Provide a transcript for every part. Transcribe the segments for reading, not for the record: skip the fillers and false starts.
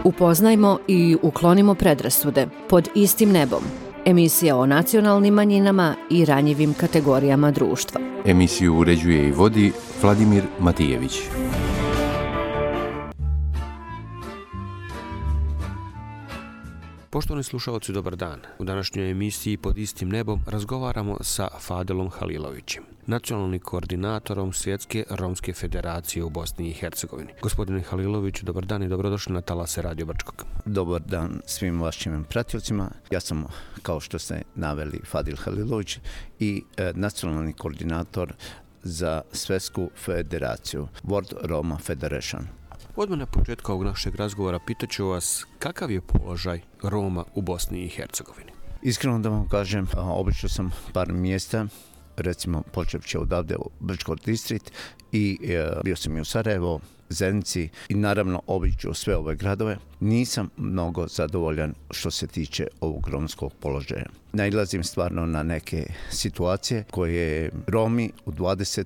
Upoznajmo i uklonimo predrasude pod istim nebom. Emisija o nacionalnim manjinama i ranjivim kategorijama društva. Emisiju uređuje i vodi Vladimir Matijević. Poštovani slušalci, dobar dan. U današnjoj emisiji Pod istim nebom razgovaramo sa Fadilom Halilovićem, nacionalnim koordinatorom Svjetske romske federacije u Bosni i Hercegovini. Gospodine Haliloviću, dobar dan i dobrodošli na talase Radio Brčkog. Dobar dan svim vašim pratioцima. Ja sam, kao što ste naveli, Fadil Halilović i nacionalni koordinator za Svjetsku federaciju, World Roma Federation. Odmah na početku ovog našeg razgovora pitaću vas kakav je položaj Roma u Bosni i Hercegovini. Iskreno da vam kažem, obišao sam par mjesta, recimo počevši odavde u Brčko distrikt i bio sam i u Sarajevo, Zenici i naravno obiđu sve ove gradove. Nisam mnogo zadovoljan što se tiče ovog romskog položaja. Nailazim stvarno na neke situacije koje Romi u 21.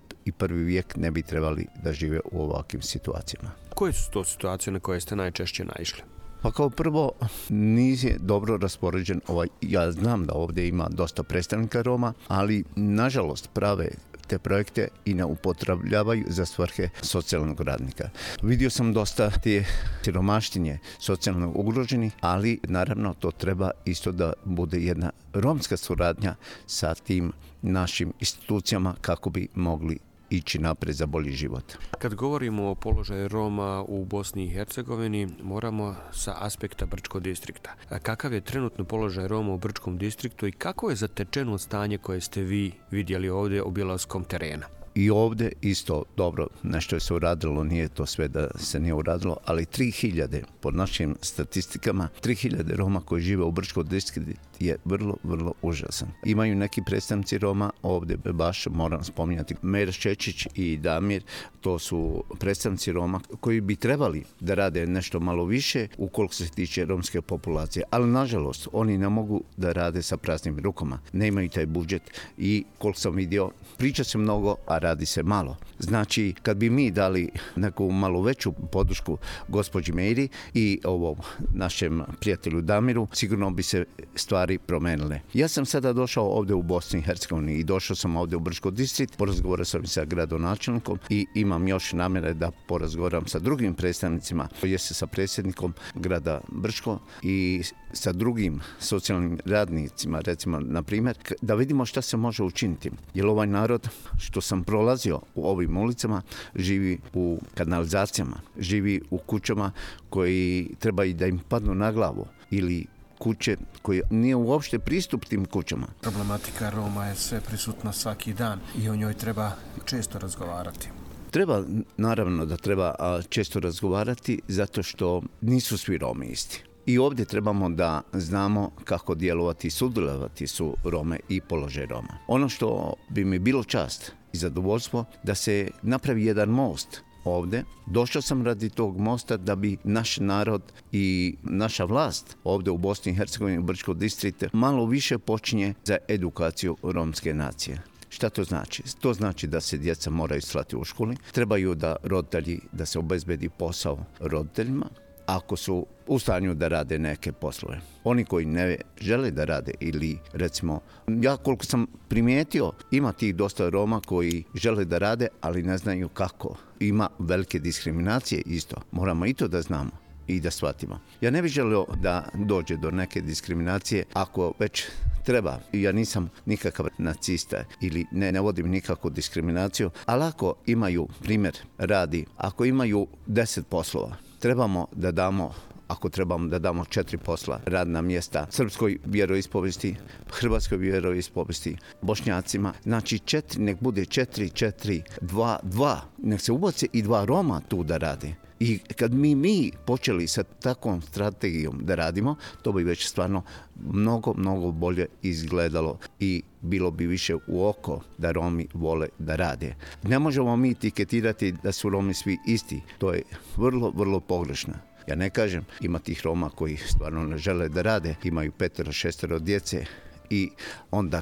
vijek ne bi trebali da žive u ovakvim situacijama. Koje su to situacije na koje ste najčešće naišli? Pa kao prvo, nije dobro raspoređen ja znam da ovdje ima dosta predstavnika Roma, ali nažalost prave te projekte i ne upotrebljavaju za svrhe socijalnog radnika. Vidio sam dosta te siromaštinje socijalno ugroženi, ali naravno to treba isto da bude jedna romska suradnja sa tim našim institucijama kako bi mogli ići naprijed za bolji život. Kad govorimo o položaju Roma u Bosni i Hercegovini, moramo sa aspekta Brčkog distrikta. Kakav je trenutno položaj Roma u Brčkom distriktu i kako je zatečeno stanje koje ste vi vidjeli ovdje obilaskom terena? I ovdje isto dobro, nešto je se uradilo, nije to sve da se nije uradilo, ali 3000, po našim statistikama, 3000 Roma koji žive u Brčkom distriktu je vrlo, vrlo užasan. Imaju neki predstavnici Roma, ovdje baš moram spominjati Mer Šečić i Damir, to su predstavnici Roma koji bi trebali da rade nešto malo više ukoliko se tiče romske populacije, ali nažalost oni ne mogu da rade sa praznim rukama, nemaju taj budžet i koliko sam vidio, priča se mnogo, a radi se malo. Znači, kad bi mi dali neku malo veću podršku gospođi Meri i ovom našem prijatelju Damiru, sigurno bi se stvari promenile. Ja sam sada došao ovdje u Bosni i Hercegovini i došao sam ovdje u Brčko distrikt, porazgovarao sam sa gradonačelnikom i imam još namjere da porazgovaram sa drugim predstavnicima, jeste sa predsjednikom grada Brčko i sa drugim socijalnim radnicima, recimo, na primjer, da vidimo šta se može učiniti. Jer ovaj narod, što sam prolazio u ovim ulicama, živi u kanalizacijama, živi u kućama koji treba i da im padnu na glavu ili kuće koje nije uopšte pristup tim kućama. Problematika Roma je sve prisutna svaki dan i o njoj treba često razgovarati. Treba, naravno da treba često razgovarati zato što nisu svi Romi isti. I ovdje trebamo da znamo kako djelovati i sudjelovati su Rome i položaj Roma. Ono što bi mi bilo čast i zadovoljstvo da se napravi jedan most ovdje. Došao sam radi tog mosta da bi naš narod i naša vlast ovdje u Bosni i Hercegovini, u Brčkom distriktu, malo više počinje za edukaciju romske nacije. Šta to znači? To znači da se djeca moraju slati u školi, trebaju da roditelji, da se obezbedi posao roditeljima, ako su u stanju da rade neke poslove. Oni koji ne žele da rade ili recimo, ja koliko sam primijetio, ima tih dosta Roma koji žele da rade, ali ne znaju kako. Ima velike diskriminacije isto. Moramo i to da znamo i da shvatimo. Ja ne bih želio da dođe do neke diskriminacije ako već treba. Ja nisam nikakav nacista ili ne vodim nikakvu diskriminaciju, ali ako imaju, primjer radi, ako imaju 10 poslova, trebamo da damo, ako trebamo da damo 4 posla, radna mjesta srpskoj vjeroispovesti, hrvatskoj vjeroispovesti, bošnjacima, znači 4, nek bude 4, 2, nek se ubace i 2 Roma tu da rade. I kad mi počeli sa takvom strategijom da radimo, to bi već stvarno mnogo, mnogo bolje izgledalo i bilo bi više u oko da Romi vole da rade. Ne možemo mi etiketirati da su Romi svi isti. To je vrlo, vrlo pogrešno. Ja ne kažem, ima tih Roma koji stvarno ne žele da rade, imaju 5-6 djece i onda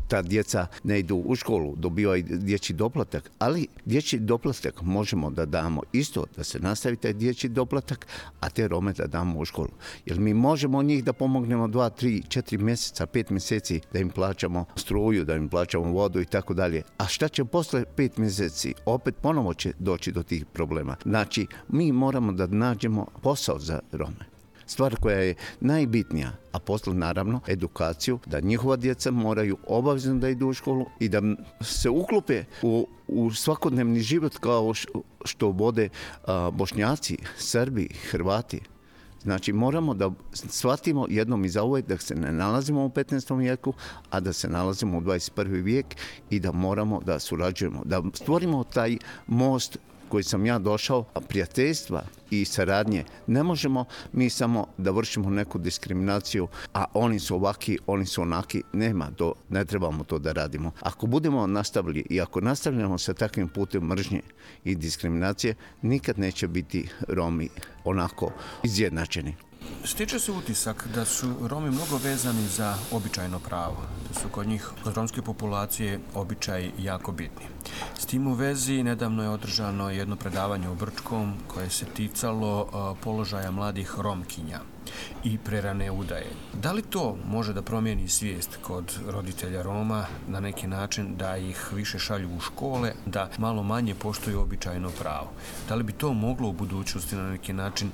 ta djeca ne idu u školu, dobivaju dječji doplatak, ali dječji doplatak možemo da damo isto, da se nastavi taj dječji doplatak, a te Rome da damo u školu. Jer mi možemo njih da pomognemo 2, 3, 4 mjeseca, 5 mjeseci, da im plaćamo struju, da im plaćamo vodu i tako dalje. A šta će posle 5 mjeseci? Opet ponovo će doći do tih problema. Znači, mi moramo da nađemo posao za Rome. Stvar koja je najbitnija, a posle naravno edukaciju, da njihova djeca moraju obavezno da idu u školu i da se uklope u svakodnevni život kao što vode Bošnjaci, Srbi, Hrvati. Znači moramo da shvatimo jednom i zauvijek da se ne nalazimo u 15. vijeku, a da se nalazimo u 21. vijek i da moramo da surađujemo, da stvorimo taj most koji sam ja došao, prijateljstva i saradnje. Ne možemo mi samo da vršimo neku diskriminaciju, a oni su ovaki, oni su onaki. Nema to, ne trebamo to da radimo. Ako budemo nastavili i ako nastavljamo sa takvim putem mržnje i diskriminacije, nikad neće biti Romi onako izjednačeni. Stiče se utisak da su Romi mnogo vezani za običajno pravo, da su kod njih, kod romske populacije, običaji jako bitni. S tim u vezi nedavno je održano jedno predavanje u Brčkom koje se ticalo položaja mladih Romkinja i prerane udaje. Da li to može da promijeni svijest kod roditelja Roma na neki način da ih više šalju u škole, da malo manje poštuju običajno pravo? Da li bi to moglo u budućnosti na neki način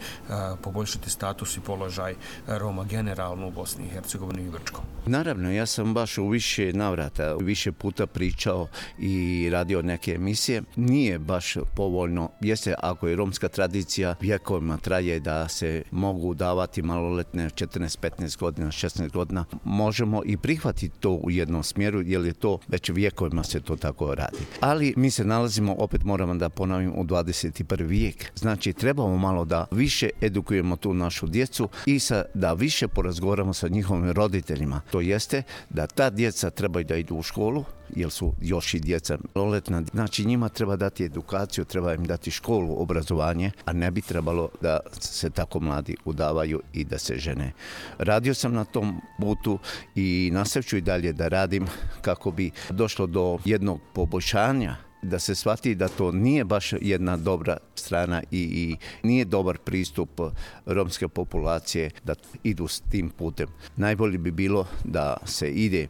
poboljšati status i položaj Roma generalno u Bosni i Hercegovini i Brčkom? Naravno, ja sam baš u više navrata, više puta pričao i radio neke emisije. Nije baš povoljno, jeste ako je romska tradicija vjekovima traje da se mogu davati maloletne 14-15 godina, 16 godina, možemo i prihvatiti to u jednom smjeru, jer je to već vjekovima se to tako radi. Ali mi se nalazimo, opet moramo da ponovim, u 21. vijek. Znači, trebamo malo da više edukujemo tu našu djecu i da više porazgovaramo sa njihovim roditeljima. To jeste da ta djeca trebaju da idu u školu, jer su još i djeca maloletna. Znači, njima treba dati edukaciju, treba im dati školu, obrazovanje, a ne bi trebalo da se tako mladi udavaju i da se žene. Radio sam na tom putu i nastavit ću i dalje da radim kako bi došlo do jednog poboljšanja, da se shvati da to nije baš jedna dobra strana i nije dobar pristup romske populacije da idu s tim putem. Najbolje bi bilo da se ide,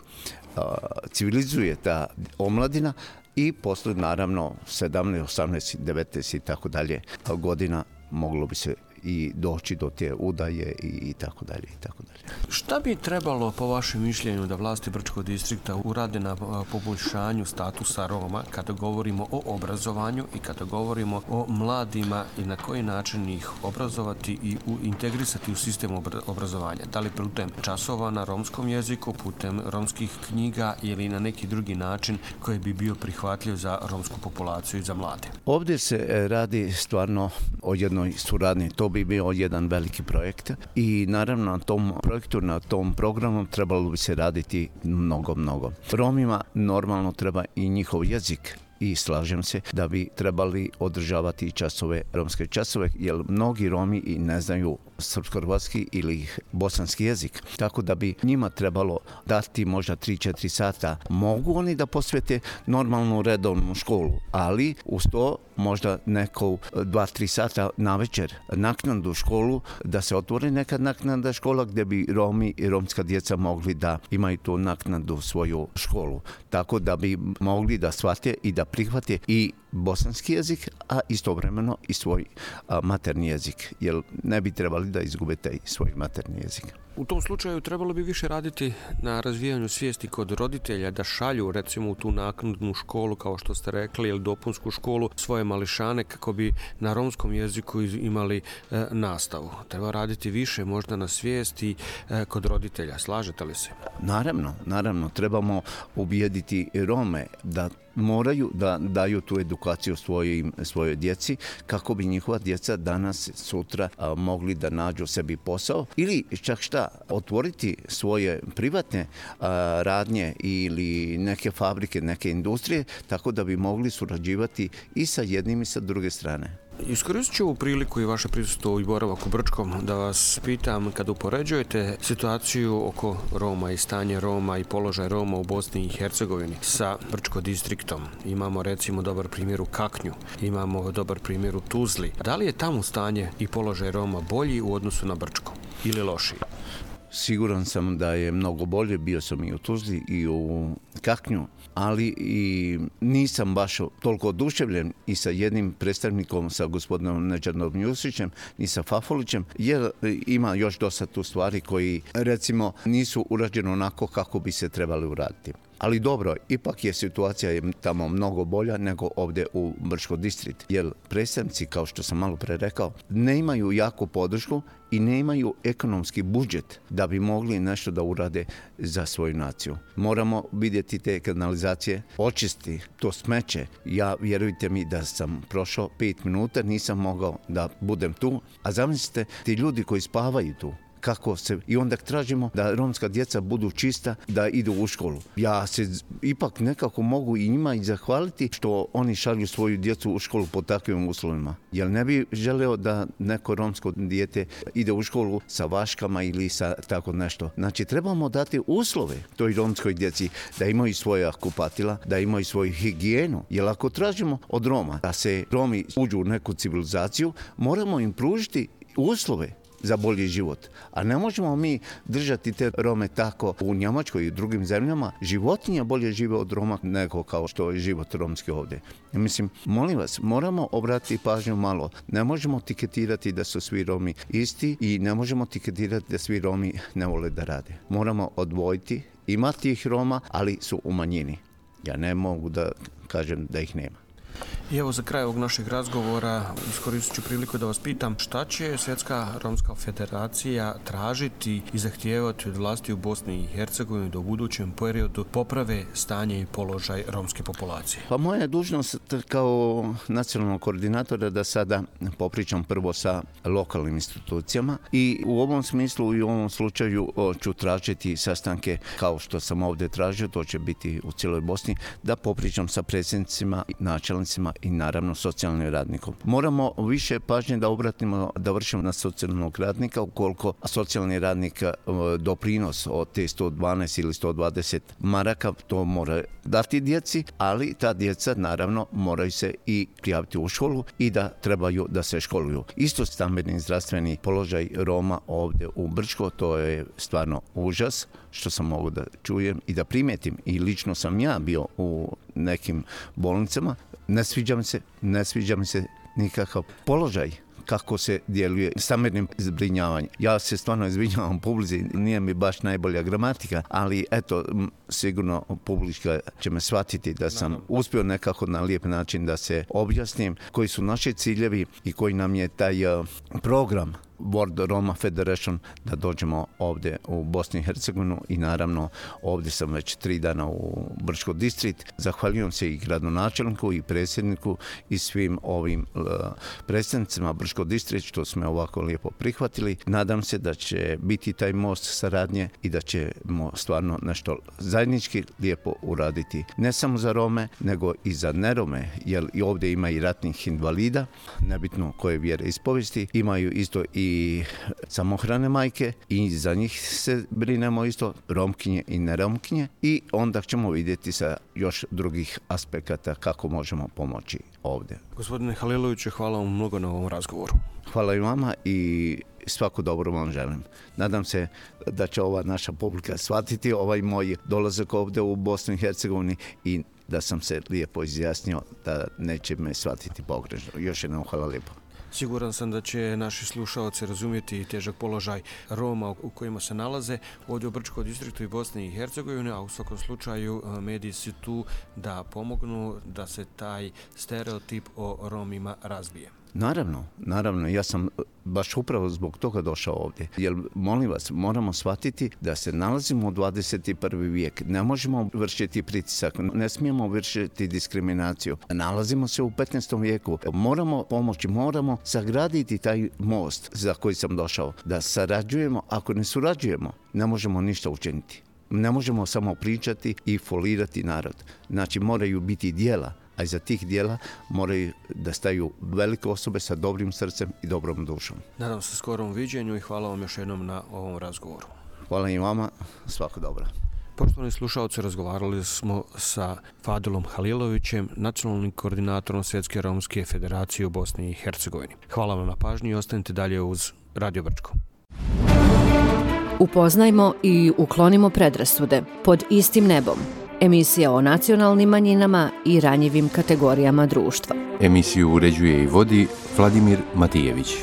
civilizuje ta omladina i posle naravno 17, 18, 19 i tako dalje godina moglo bi se i doći do te udaje i tako dalje i tako dalje. Šta bi trebalo po vašem mišljenju da vlasti Brčkog distrikta urade na poboljšanju statusa Roma kada govorimo o obrazovanju i kada govorimo o mladima i na koji način ih obrazovati i integrisati u sistem obrazovanja? Da li putem časova na romskom jeziku, putem romskih knjiga ili na neki drugi način koji bi bio prihvatljiv za romsku populaciju i za mlade? Ovdje se radi stvarno o jednoj suradnji. To bi bio jedan veliki projekt i naravno na tom projektu, na tom programu trebalo bi se raditi mnogo. Romima normalno treba i njihov jezik i slažem se da bi trebali održavati časove, romske časove, jer mnogi Romi i ne znaju srpsko-hrvatski ili bosanski jezik. Tako da bi njima trebalo dati možda 3-4 sata. Mogu oni da posvete normalnu redovnu školu, ali uz to možda neko 2-3 sata na večer naknadnu školu, da se otvori neka naknadna škola gdje bi Romi i romska djeca mogli da imaju tu naknadu svoju školu. Tako da bi mogli da shvate i da prihvate i bosanski jezik, a istovremeno i svoj materni jezik, jer ne bi trebali da izgube taj svoj materni jezik. U tom slučaju trebalo bi više raditi na razvijanju svijesti kod roditelja da šalju recimo u tu naknadnu školu, kao što ste rekli, ili dopunsku školu svoje mališane kako bi na romskom jeziku imali nastavu. Treba raditi više možda na svijesti kod roditelja. Slažete li se? Naravno. Trebamo ubijediti Rome da moraju da daju tu edukaciju svojoj djeci kako bi njihova djeca danas, sutra mogli da nađu sebi posao ili čak otvoriti svoje privatne radnje ili neke fabrike, neke industrije, tako da bi mogli surađivati i sa jednim i sa druge strane. Iskoristit ću ovu priliku i vaše prisustvo i boravak u Brčkom da vas pitam, kada upoređujete situaciju oko Roma i stanje Roma i položaj Roma u Bosni i Hercegovini sa Brčko distriktom. Imamo recimo dobar primjer u Kaknju, imamo dobar primjer u Tuzli. Da li je tamo stanje i položaj Roma bolji u odnosu na Brčko ili lošiji? Siguran sam da je mnogo bolje, bio sam i u Tuzli i u Kaknju, ali i nisam baš toliko oduševljen i sa jednim predstavnikom, sa gospodinom Nedžadom Jusićem i sa Fafolićem, jer ima još dosta tu stvari koji, recimo, nisu urađene onako kako bi se trebali uraditi. Ali dobro, ipak je situacija tamo mnogo bolja nego ovdje u Brčko distrikt, jer predstavnici, kao što sam malo pre rekao, ne imaju jaku podršku i ne imaju ekonomski budžet da bi mogli nešto da urade za svoju naciju. Moramo vidjeti te kanalizacije, očisti to smeće. Ja, vjerujte mi, da sam prošao 5 minuta, nisam mogao da budem tu, a zamislite ti ljudi koji spavaju tu. I onda tražimo da romska djeca budu čista, da idu u školu. Ja se ipak nekako mogu i njima i zahvaliti što oni šalju svoju djecu u školu pod takvim uslovima. Jer ne bi želeo da neko romsko dijete ide u školu sa vaškama ili sa tako nešto. Znači, trebamo dati uslove toj romskoj djeci da imaju svoja kupatila, da imaju svoju higijenu. Jer ako tražimo od Roma da se Romi uđu u neku civilizaciju, moramo im pružiti uslove za bolji život. A ne možemo mi držati te Rome tako u Njemačkoj i drugim zemljama. Životinje bolje žive od Roma nego kao što je život romski ovdje. Mislim, molim vas, moramo obratiti pažnju malo. Ne možemo tiketirati da su svi Romi isti i ne možemo tiketirati da svi Romi ne vole da rade. Moramo odvojiti, ima tih Roma, ali su u manjini. Ja ne mogu da kažem da ih nema. I evo, za kraj ovog našeg razgovora iskoristit ću priliku da vas pitam šta će Svjetska romska federacija tražiti i zahtijevati od vlasti u Bosni i Hercegovini da u budućem periodu poprave stanje i položaj romske populacije. Pa moja je dužnost kao nacionalnog koordinatora da sada popričam prvo sa lokalnim institucijama i u ovom smislu i u ovom slučaju ću tražiti sastanke kao što sam ovdje tražio, to će biti u cijeloj Bosni, da popričam sa predsjednicima, načelnicima i naravno socijalnim radnikom. Moramo više pažnje da obratimo, da vršimo na socijalnog radnika, ukoliko socijalni radnik doprinos od te 112 ili 120 maraka, to mora dati djeci, ali ta djeca naravno moraju se i prijaviti u školu i da trebaju da se školuju. Isto stambeni zdravstveni položaj Roma ovdje u Brčko, to je stvarno užas što sam mogu da čujem i da primetim. I lično sam ja bio u nekim bolnicama. Ne sviđa mi se nikakav položaj kako se djeluje stambenim zbrinjavanjem. Ja se stvarno izvinjavam publici, nije mi baš najbolja gramatika, ali eto, sigurno publika će me shvatiti da sam uspio nekako na lijep način da se objasnim koji su naši ciljevi i koji nam je taj program World Roma Federation da dođemo ovdje u Bosni i Hercegovinu i naravno ovdje sam već 3 dana u Brčko distrikt. Zahvaljujem se i gradonačelniku i predsjedniku i svim ovim predstavnicima Brčko distrikt što smo ovako lijepo prihvatili. Nadam se da će biti taj most saradnje i da ćemo stvarno nešto zajednički lijepo uraditi. Ne samo za Rome, nego i za nerome, jer i ovdje ima i ratnih invalida, nebitno koje vjere ispovesti, imaju isto i samohrane majke i za njih se brinemo isto, romkinje i neromkinje, i onda ćemo vidjeti sa još drugih aspekata kako možemo pomoći ovdje. Gospodine Haliloviću, hvala vam mnogo na ovom razgovoru. Hvala i vama i svako dobro vam želim. Nadam se da će ova naša publika shvatiti ovaj moj dolazak ovdje u Bosnu i Hercegovini i da sam se lijepo izjasnio da neće me shvatiti pogrešno. Još jednom hvala lijepo. Siguran sam da će naši slušalci razumjeti težak položaj Roma u kojima se nalaze ovdje u Brčkom distriktu i Bosni i Hercegovini, a u svakom slučaju mediji su tu da pomognu da se taj stereotip o Romima razbije. Naravno, ja sam baš upravo zbog toga došao ovdje. Jer, molim vas, moramo shvatiti da se nalazimo u 21. vijek. Ne možemo vršiti pritisak, ne smijemo vršiti diskriminaciju. Nalazimo se u 15. vijeku. Moramo pomoći, moramo sagraditi taj most za koji sam došao. Da sarađujemo, ako ne surađujemo, ne možemo ništa učiniti. Ne možemo samo pričati i folirati narod. Znači, moraju biti djela. a iza tih dijela moraju da staju velike osobe sa dobrim srcem i dobrom dušom. Nadam se skorom viđenju i hvala vam još jednom na ovom razgovoru. Hvala i vama, svako dobro. Poštovani slušalci, razgovarali smo sa Fadilom Halilovićem, nacionalnim koordinatorom Svjetske romske federacije u Bosni i Hercegovini. Hvala vam na pažnji i ostanite dalje uz Radio Brčko. Upoznajmo i uklonimo predrasude pod istim nebom. Emisija o nacionalnim manjinama i ranjivim kategorijama društva. Emisiju uređuje i vodi Vladimir Matijević.